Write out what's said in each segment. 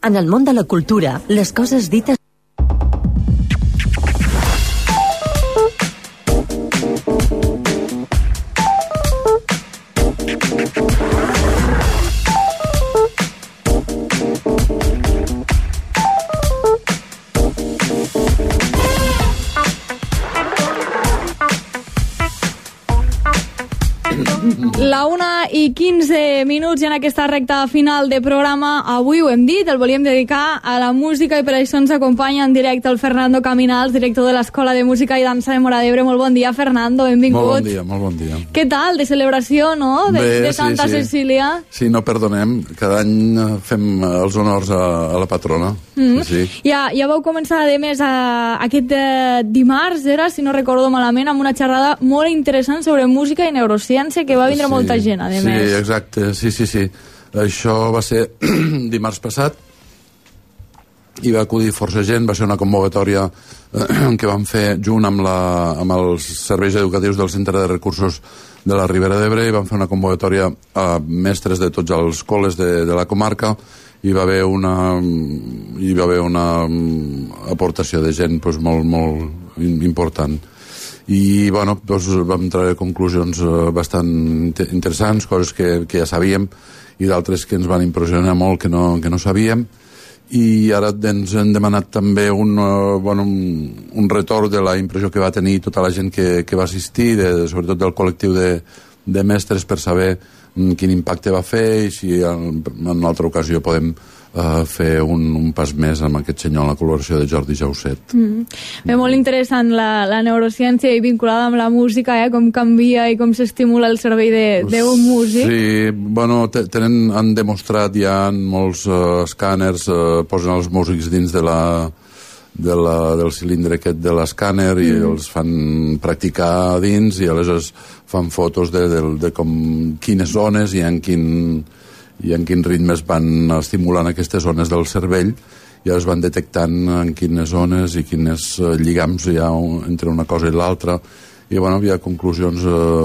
En el món de la cultura, les coses dites... La 1:15 i en aquesta recta final de programa, avui ho hem dit, el volíem dedicar a la música i per això ens acompanya en directe el Fernando Caminals, director de l'Escola de Música i Dansa de Móra d'Ebre. Molt bon dia, Fernando, benvingut. Molt bon dia. Què tal, de celebració, no?, de Santa Cecília. Sí, no perdonem, cada any fem els honors a la patrona. Sí. Ja vau començar, a més, aquest dimarts, era, si no recordo malament, amb una xerrada molt interessant sobre música i neurociència, que va vindre molta gent, a més. Sí, exacte, sí. Això va ser dimarts passat i va acudir força gent, va ser una convocatòria que vam fer junt amb els serveis educatius del Centre de Recursos de la Ribera d'Ebre, i vam fer una convocatòria a mestres de tots els col·les de la comarca, i va haver una aportació de gent molt important. I bueno, vam treure conclusions bastant interessants, coses que ja sabíem i d'altres que ens van impressionar molt que no sabíem, i ara ens han demanat també un retorn de la impressió que va tenir tota la gent que va assistir, sobretot del col·lectiu de mestres, per saber quin impacte va fer i si en una altra ocasió podem fer un pas més amb aquest senyor en la col·laboració de Jordi Jauset. Bé, molt interessant la neurociència i vinculada amb la música, com canvia i com s'estimula el cervell d'un músic. Sí, bueno, han demostrat ja en molts escàners, posen els músics dins del cilindre aquest de l'escàner i els fan practicar dins, i aleshores fan fotos de quines zones i en quin ritmes van estimulant aquestes zones del cervell, i es van detectant en quines zones i quines lligams hi ha entre una cosa i l'altra, i bueno, hi ha conclusions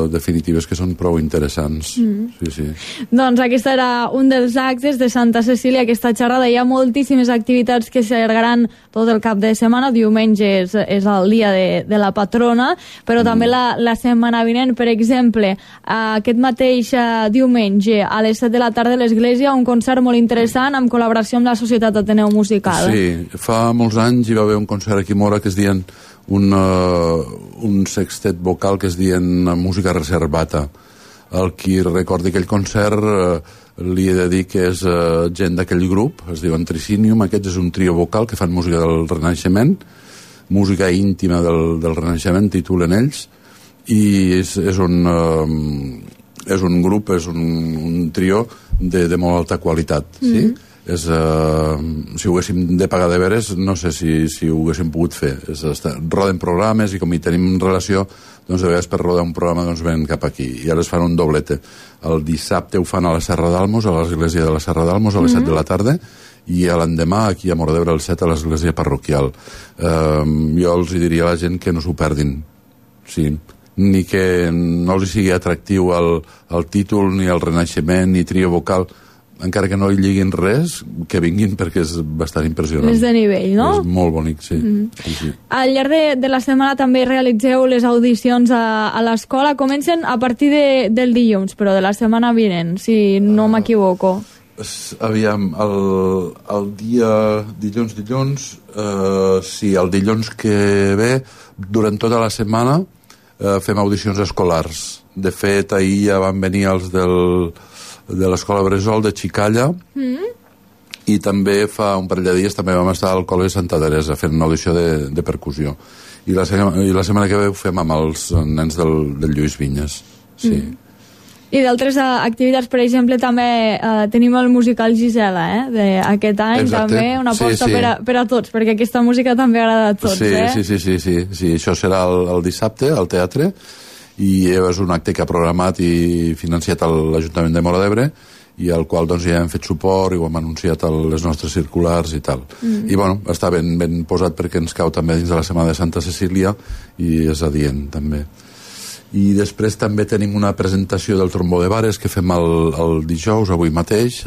definitives que són prou interessants. Sí. Doncs aquest era un dels actes de Santa Cecília, aquesta xerrada. Hi ha moltíssimes activitats que s'allargaran tot el cap de setmana. Diumenge és el dia de la patrona, però també la setmana vinent, per exemple, aquest mateix diumenge a les 7 de la tarda a l'Església, un concert molt interessant amb col·laboració amb la Societat Ateneu Musical. Sí, fa molts anys hi va haver un concert aquí a Móra que es deien un sextet vocal que es deien Música Reservata. El qui recordi aquell concert li he de dir que és gent d'aquell grup, es diuen Tricinium. Aquest és un trio vocal que fan música del Renaixement, música íntima del Renaixement, titulen ells, i és un grup, és un trio de molt alta qualitat, sí? Si ho haguéssim de pagar de veres, no sé si ho haguéssim pogut fer. Roden programes i com hi tenim relació, doncs de vegades per rodar un programa doncs venen cap aquí, i ara es fan un doblete. El dissabte ho fan a la Serra d'Almos, a l'església de la Serra d'Almos, a les 7 de la tarda, i l'endemà aquí a Móra d'Ebre al 7 a l'església parroquial. Jo els diria a la gent que no s'ho perdin, sí, ni que no els sigui atractiu el títol, ni el Renaixement, ni trio vocal, encara que no hi lliguin res, que vinguin, perquè és bastant impressionant. És de nivell, no? És molt bonic, sí. Sí. Al llarg de la setmana també realitzeu les audicions a l'escola. Comencen a partir del dilluns, però de la setmana vinent, si no m'equivoco. Aviam, el dia dilluns, sí, el dilluns que ve, durant tota la setmana fem audicions escolars. De fet, ahir ja van venir els de l'Escola Bressol de Xicalla, i també fa un parell de dies també vam estar al Col·le de Santa Teresa fent una audició de percussió, i la setmana que ve ho fem amb els nens del Lluís Vinyes. Sí. I d'altres activitats, per exemple, també tenim el musical Gisela, d'aquest any. Exacte. També una aposta per a tots, perquè aquesta música també agrada a tots. Sí, això serà el dissabte al teatre, i és un acte que ha programat i financiat l'Ajuntament de Móra d'Ebre, i al qual doncs, ja hem fet suport i ho hem anunciat a les nostres circulars i tal. I bueno, està ben posat perquè ens cau també dins de la Setmana de Santa Cecília, i és adient també. I després també tenim una presentació del trombó de Vares que fem el dijous, avui mateix,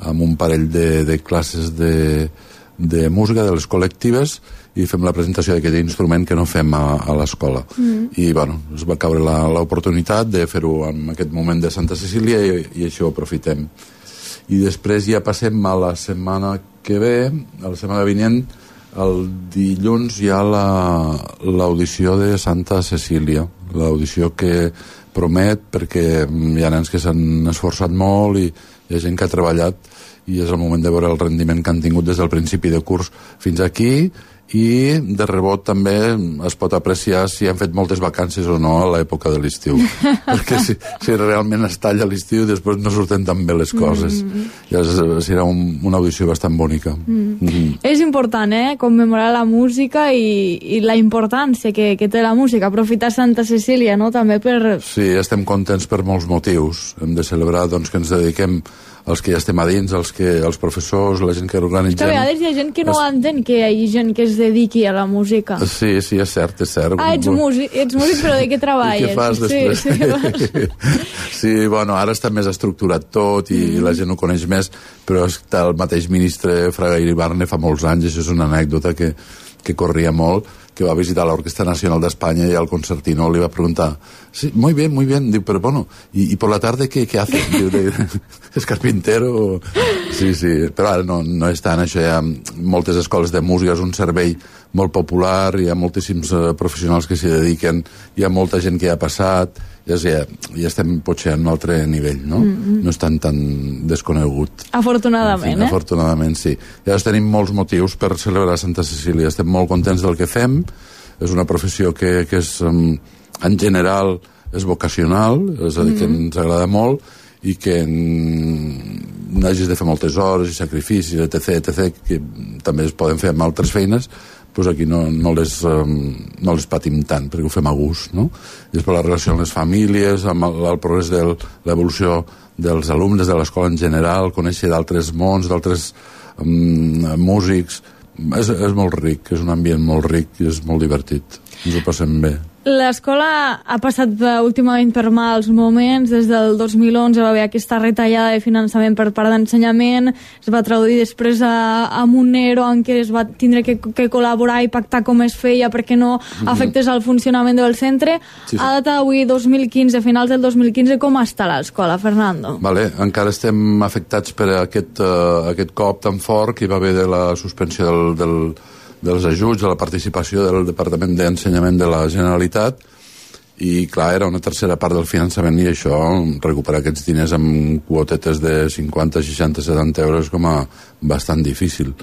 amb un parell de classes de música, de les col·lectives, i fem la presentació d'aquest instrument que no fem a l'escola. I, bueno, es va caure l'oportunitat de fer-ho en aquest moment de Santa Cecília i això ho aprofitem. I després ja passem a la setmana que ve, a la setmana vinent, el dilluns hi ha l'audició de Santa Cecília, l'audició que promet, perquè hi ha nens que s'han esforçat molt i hi ha gent que ha treballat i és el moment de veure el rendiment que han tingut des del principi de curs fins aquí, i de rebot també es pot apreciar si han fet moltes vacances o no a l'època de l'estiu perquè si realment es talla l'estiu després no surten tan bé les coses. Llavors serà una audició bastant bonica. És important, commemorar la música i la importància que té la música, aprofitar Santa Cecília, no?, també per... Sí, estem contents per molts motius. Hem de celebrar, doncs, que ens dediquem els que ja estem a dins, els professors, la gent que organitzem... Que a vegades hi ha gent que no entén que hi hagi gent que es dediqui a la música. Sí, és cert. Ets músic, però de què treballes? I què fas després? Sí, bueno, ara està més estructurat tot i la gent ho coneix més, però el mateix ministre Fraga Iribarne fa molts anys, això és una anècdota que corria molt, que va visitar l'Orquestra Nacional d'Espanya i al concertino li va preguntar, sí, muy bien, diu, però bueno, ¿y por la tarde qué hace? Diu, és carpintero? Sí, però ara no és tant, això hi ha moltes escoles de música, és un servei molt popular, hi ha moltíssims professionals que s'hi dediquen, hi ha molta gent que hi ha passat, ja estem potser en un altre nivell, no? No és tan desconegut. Afortunadament, en fi, afortunadament, sí. Llavors tenim molts motius per celebrar Santa Cecília, estem molt contents del que fem, és una professió que és, en general, és vocacional, és a dir, que ens agrada molt, i que n'hagis de fer moltes hores i sacrificis, etc., que també es poden fer amb altres feines, doncs aquí no les patim tant, perquè ho fem a gust, no? I després la relació amb les famílies, amb el progrés de l'evolució dels alumnes de l'escola en general, conèixer d'altres mons, d'altres músics, és molt ric, és un ambient molt ric i és molt divertit, ens ho passem bé. L'escola ha passat últimament per mals moments. Des del 2011 va haver aquesta retallada de finançament per part d'ensenyament, es va traduir després amb un ERO en què es va tindre que col·laborar i pactar com es feia perquè no afectés el funcionament del centre. Sí. A data d'avui, 2015, finals del 2015, com està l'escola, Fernando? Vale, encara estem afectats per aquest cop tan fort que hi va haver de la suspensió dels ajuts, de la participació del Departament d'Ensenyament de la Generalitat, i clar, era una tercera part del finançament, i això, recuperar aquests diners amb quotetes de 50, 60, 70 euros com a bastant difícil.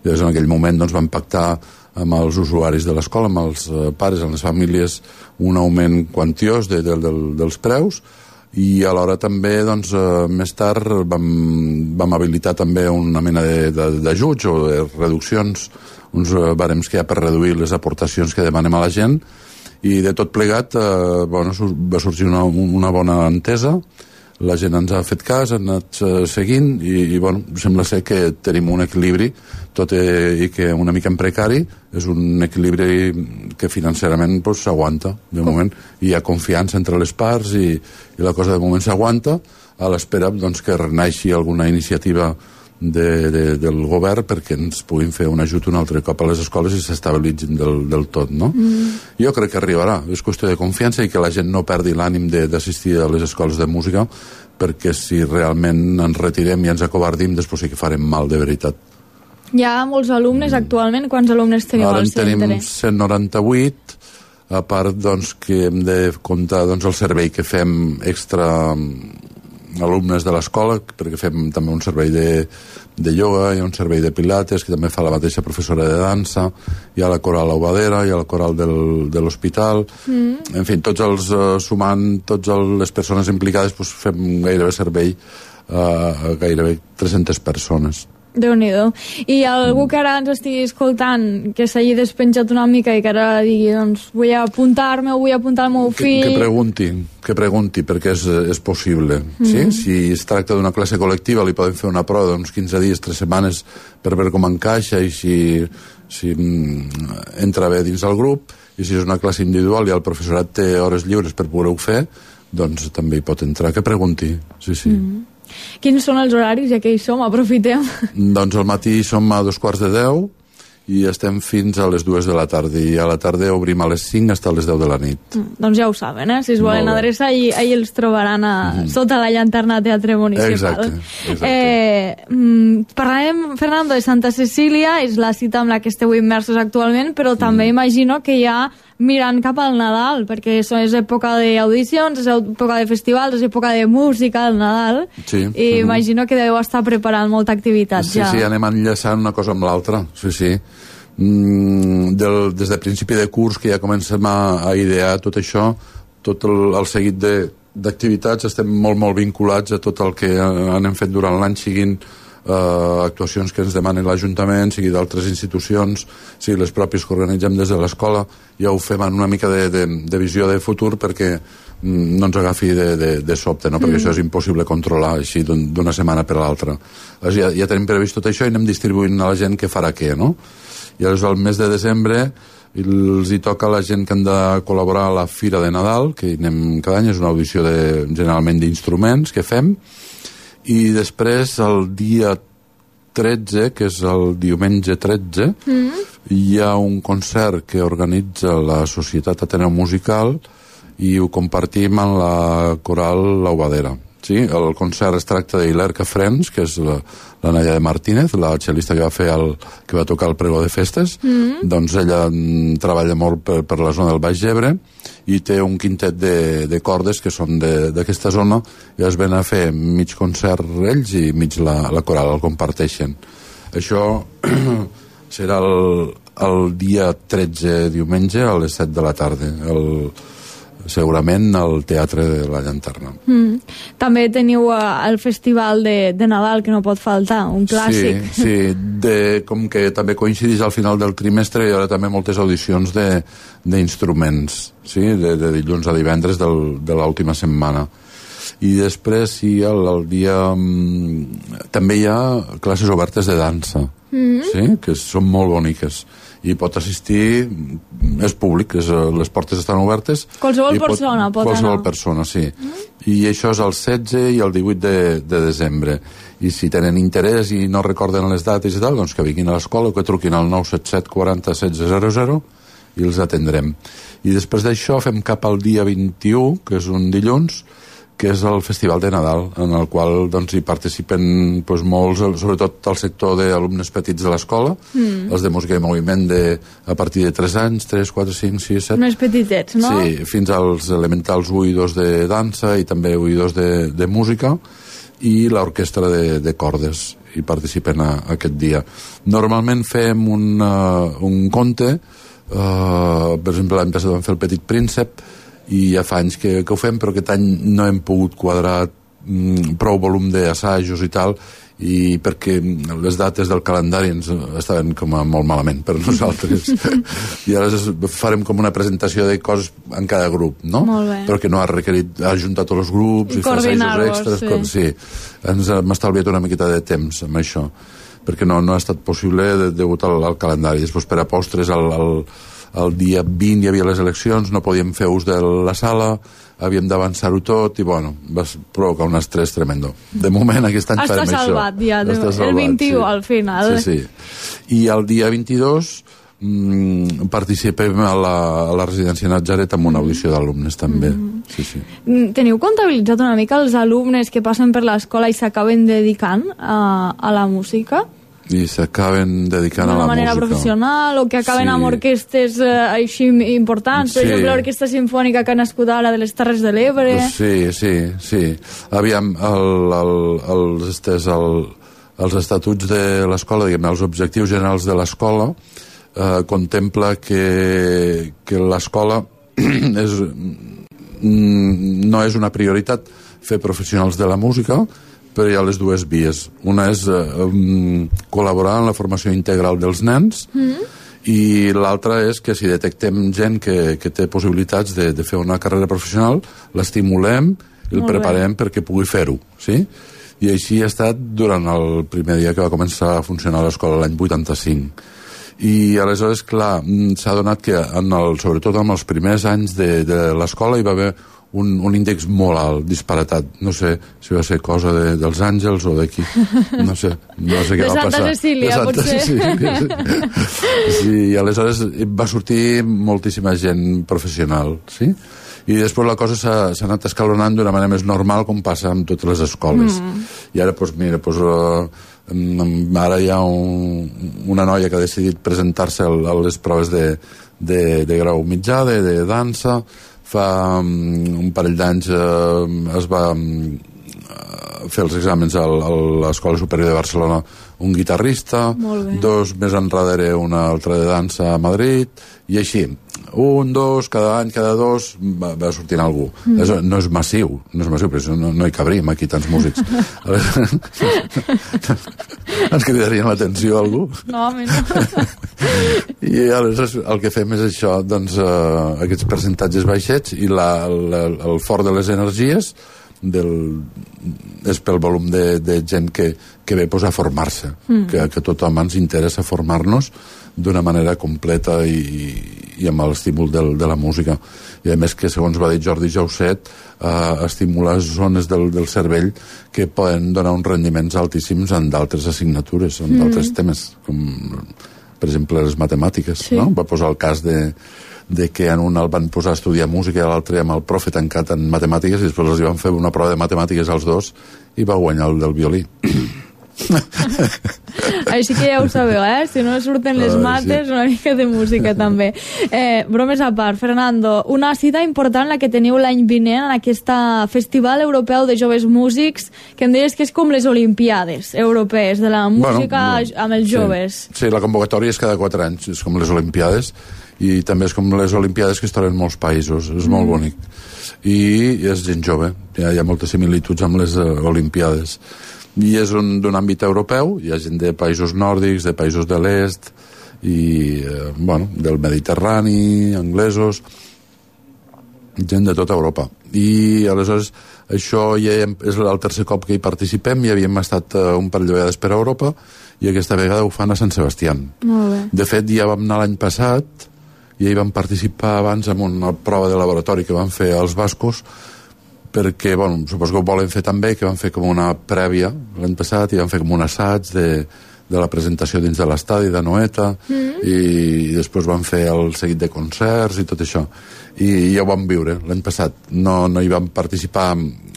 Llavors en aquell moment doncs, vam pactar amb els usuaris de l'escola, amb els pares, amb les famílies, un augment quantiós dels preus, i alhora també doncs, més tard vam habilitar també una mena d'ajuts o de reduccions, uns barems que hi ha per reduir les aportacions que demanem a la gent, i de tot plegat va sorgir una bona entesa, la gent ens ha fet cas, ha anat seguint i sembla ser que tenim un equilibri, tot i que una mica en precari, és un equilibri que financerament s'aguanta de moment, i hi ha confiança entre les parts i la cosa de moment s'aguanta, a l'espera que renaixi alguna iniciativa del govern perquè ens puguin fer un ajut un altre cop a les escoles i s'estabilitzin del tot, no? Jo crec que arribarà, és qüestió de confiança i que la gent no perdi l'ànim d'assistir a les escoles de música, perquè si realment ens retirem i ens acobardim, després sí que farem mal de veritat. Hi ha molts alumnes actualment? Quants alumnes tenim al centre? Ara en tenim 198, a part que hem de comptar el servei que fem extra alumnes de l'escola, perquè fem també un servei de ioga, hi ha un servei de pilates que també fa la mateixa professora de dansa, hi ha la coral Aubadera, hi ha la coral de l'hospital, en fi, sumant totes les persones implicades, fem gairebé servei a gairebé 300 persones. Déu-n'hi-do. I algú que ara ens estigui escoltant, que s'hagi despenjat una mica i que ara digui, vull apuntar-me o vull apuntar el meu fill... Que pregunti, perquè és possible. Sí? Si es tracta d'una classe col·lectiva, li podem fer una prova d'uns 15 dies, 3 setmanes, per veure com encaixa i si entra bé dins el grup, i si és una classe individual i el professorat té hores lliures per poder-ho fer, doncs també hi pot entrar. Que pregunti, sí. Quins són els horaris, ja que hi som, aprofitem? Doncs al matí som a 2:45 i estem fins a les 2 de la tarda, i a la tarda obrim a les 5 fins a les 10 de la nit. Doncs ja ho saben, si es volen adreçar, ahir els trobaran sota la llanterna Teatre Municipal. Exacte. Parlàvem, Fernando, de Santa Cecília, és la cita amb la que esteu immersos actualment, però també imagino que ja mirant cap al Nadal, perquè és època d'audicions, és època de festivals, és època de música, el Nadal, i imagino que deveu estar preparant molta activitat ja. Sí, anem enllaçant una cosa amb l'altra, sí. Des de principi de curs que ja comencem a idear tot això, tot el seguit d'activitats, estem molt vinculats a tot el que anem fet durant l'any, siguin actuacions que ens demanen l'Ajuntament, sigui d'altres institucions, sigui les pròpies que organitzem des de l'escola. Ja ho fem en una mica de visió de futur perquè no ens agafi de sobte, no? Perquè això és impossible controlar així d'una setmana per l'altra. Ja tenim previst tot això i anem distribuint a la gent què farà què, no? I llavors al mes de desembre els hi toca a la gent que han de col·laborar a la Fira de Nadal, que hi anem cada any, és una audició generalment d'instruments que fem, i després el dia 13, que és el diumenge 13, hi ha un concert que organitza la Societat Ateneu Musical i ho compartim amb la Coral L'Aubadera. Sí? El concert es tracta d'Ilerca Frens, que és la Nadia de Martínez, la cel·lista que va tocar el pregó de festes. Doncs ella treballa molt per la zona del Baix Ebre i té un quintet de cordes que són d'aquesta zona, i es ven a fer mig concert ells i mig la coral, el comparteixen. Això serà el dia 13, diumenge, a les 7 de la tarda, segurament al Teatre de la Llanterna. També teniu el Festival de Nadal, que no pot faltar, un clàssic. Sí, com que també coincideix al final del trimestre, hi haurà també moltes audicions d'instruments, sí? de dilluns a divendres de l'última setmana. I després el dia... també hi ha classes obertes de dansa, sí? Que són molt boniques. I pot assistir, és públic, les portes estan obertes. Qualsevol persona pot anar. Qualsevol persona, sí. I això és el 16 i el 18 de desembre. I si tenen interès i no recorden les dates i tal, doncs que vinguin a l'escola o que truquin al 977 40 16 00 i els atendrem. I després d'això fem cap al dia 21, que és un dilluns, que és el Festival de Nadal, en el qual doncs, hi participen molts, sobretot el sector d'alumnes petits de l'escola, els de música i moviment a partir de 3 anys, 3, 4, 5, 6, 7... Més petitets, no? Sí, fins als elementals 1 i 2 de dansa i també 1 i 2 de música, i l'orquestra de cordes hi participen aquest dia. Normalment fem un conte, per exemple l'any passat vam fer el Petit Príncep, i ja fa anys que ho fem, però aquest any no hem pogut quadrar prou volum d'assajos i tal, i perquè les dates del calendari ens estaven com molt malament per nosaltres. I ara farem com una presentació de coses en cada grup, no? Però que no ha requerit ajuntar tots els grups i fer assajos extras. Sí. Ens hem estalviat una miqueta de temps amb això, perquè no ha estat possible degut al calendari. Després, per a postres, el dia 20 hi havia les eleccions, no podíem fer ús de la sala, havíem d'avançar-ho tot i va provocar un estrès tremendo. De moment aquest any farem això. Salvat, ja, el 21 al final. Sí. I el dia 22 participem a la residència Natzaret amb una audició d'alumnes també. Sí. Teniu comptabilitzat una mica els alumnes que passen per l'escola i s'acaben dedicant a la música? I s'acaben dedicant a la música. D'una manera professional, o que acaben amb orquestes així importants, per exemple, l'Orquestra Simfònica que ha nascut ara de les Terres de l'Ebre. Sí. Aviam, els estatuts de l'escola, diguem, els objectius generals de l'escola, contempla que l'escola no és una prioritat fer professionals de la música, però hi ha les dues vies. Una és col·laborar en la formació integral dels nens, i l'altra és que si detectem gent que té possibilitats de fer una carrera professional, l'estimulem i el preparem perquè pugui fer-ho, sí? I així ha estat durant el primer dia que va començar a funcionar l'escola, l'any 85. I aleshores, clar, s'ha donat que sobretot en els primers anys de l'escola hi va haver un índex molt alt, disparatat. No sé si va ser cosa dels Àngels o d'aquí. No sé què va passar. De Santa Cecília, potser. Sí, i aleshores va sortir moltíssima gent professional, sí? I després la cosa s'ha anat escalonant d'una manera més normal, com passa amb totes les escoles. I ara, doncs, mira, ara hi ha una noia que ha decidit presentar-se a les proves de grau mitjà, de dansa. Fa un parell d'anys es va fer els exàmens a l'Escola Superior de Barcelona un guitarrista, 2 més enrere una altra de dansa a Madrid, i així, 1, 2, cada any, cada 2 va sortint algú. No és massiu, però no hi cabríem aquí tants músics. Ens cridarien l'atenció a algú? No, home, no. I aleshores el que fem és això, doncs aquests percentatges baixets, i el fort de les energies és pel volum de gent que ve a formar-se, que tothom ens interessa formar-nos d'una manera completa i amb l'estímul de la música. I a més que, segons va dir Jordi Jauset, estimula zones del cervell que poden donar uns rendiments altíssims en d'altres assignatures, en d'altres temes, com per exemple les matemàtiques. No? Va posar el cas de que en un el van posar a estudiar música i a l'altre amb el profe tancat en matemàtiques, i després els van fer una prova de matemàtiques als dos i va guanyar el del violí. Així que ja ho sabeu, si no surten les mates, una mica de música també. Bromes a part, Fernando, una cita important la que teniu l'any vinent en aquest Festival Europeu de Joves Músics, que em deies que és com les Olimpiades europees de la música amb els joves. Sí, la convocatòria és cada 4 anys, és com les Olimpiades, i també és com les Olimpiades que es troben en molts països, és molt bonic. I és gent jove, hi ha moltes similituds amb les Olimpiades. I és d'un àmbit europeu, hi ha gent de països nòrdics, de països de l'est, i, del Mediterrani, anglesos, gent de tota Europa. I aleshores això ja és el tercer cop que hi participem, ja havíem estat un parell de vegades per Europa, i aquesta vegada ho fan a Sant Sebastià. De fet, ja vam anar l'any passat, i hi vam participar abans en una prova de laboratori que van fer els bascos, perquè, suposo que ho volen fer també, que van fer com una prèvia l'any passat, i van fer com un assaig de la presentació dins de l'estadi de Noeta, i després van fer el seguit de concerts i tot això, i ja ho vam viure l'any passat. No hi vam participar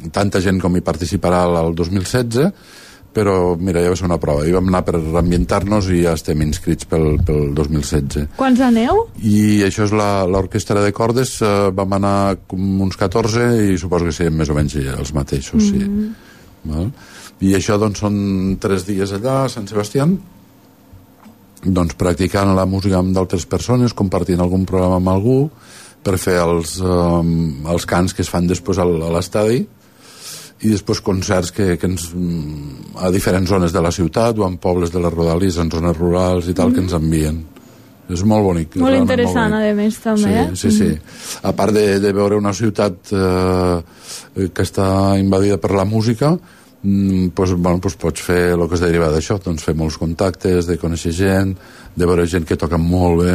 tanta gent com hi participarà el 2016, però mira, ja va ser una prova, i vam anar per ambientar-nos i ja estem inscrits pel 2016. Quants aneu? I això és l'orquestra de cordes, vam anar com uns 14 i suposo que serien més o menys els mateixos, sí. I això doncs són 3 dies allà a Sant Sebastià, doncs practicant la música amb d'altres persones, compartint algun programa amb algú, per fer els cants que es fan després a l'estadi, i després concerts que a diferents zones de la ciutat o en pobles de les rodalies, en zones rurals i tal, que ens envien. És molt bonic. Molt interessant, a més, també. Sí. A part de veure una ciutat que està invadida per la música, pots fer el que es deriva d'això, doncs fer molts contactes, de conèixer gent, de veure gent que toca molt bé.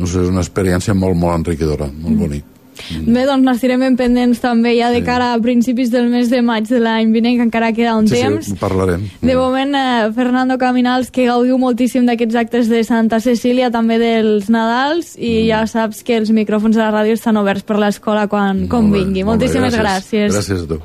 És una experiència molt, molt enriquidora, molt bonic. Bé, doncs n'estirem ben pendents també ja de cara a principis del mes de maig de l'any vinent, que encara queda un temps. Sí, parlarem. De moment, Fernando Caminals, que gaudiu moltíssim d'aquests actes de Santa Cecília, també dels Nadals, i ja saps que els micròfons de la ràdio estan oberts per l'escola quan vingui. Moltíssimes gràcies. Gràcies a tu.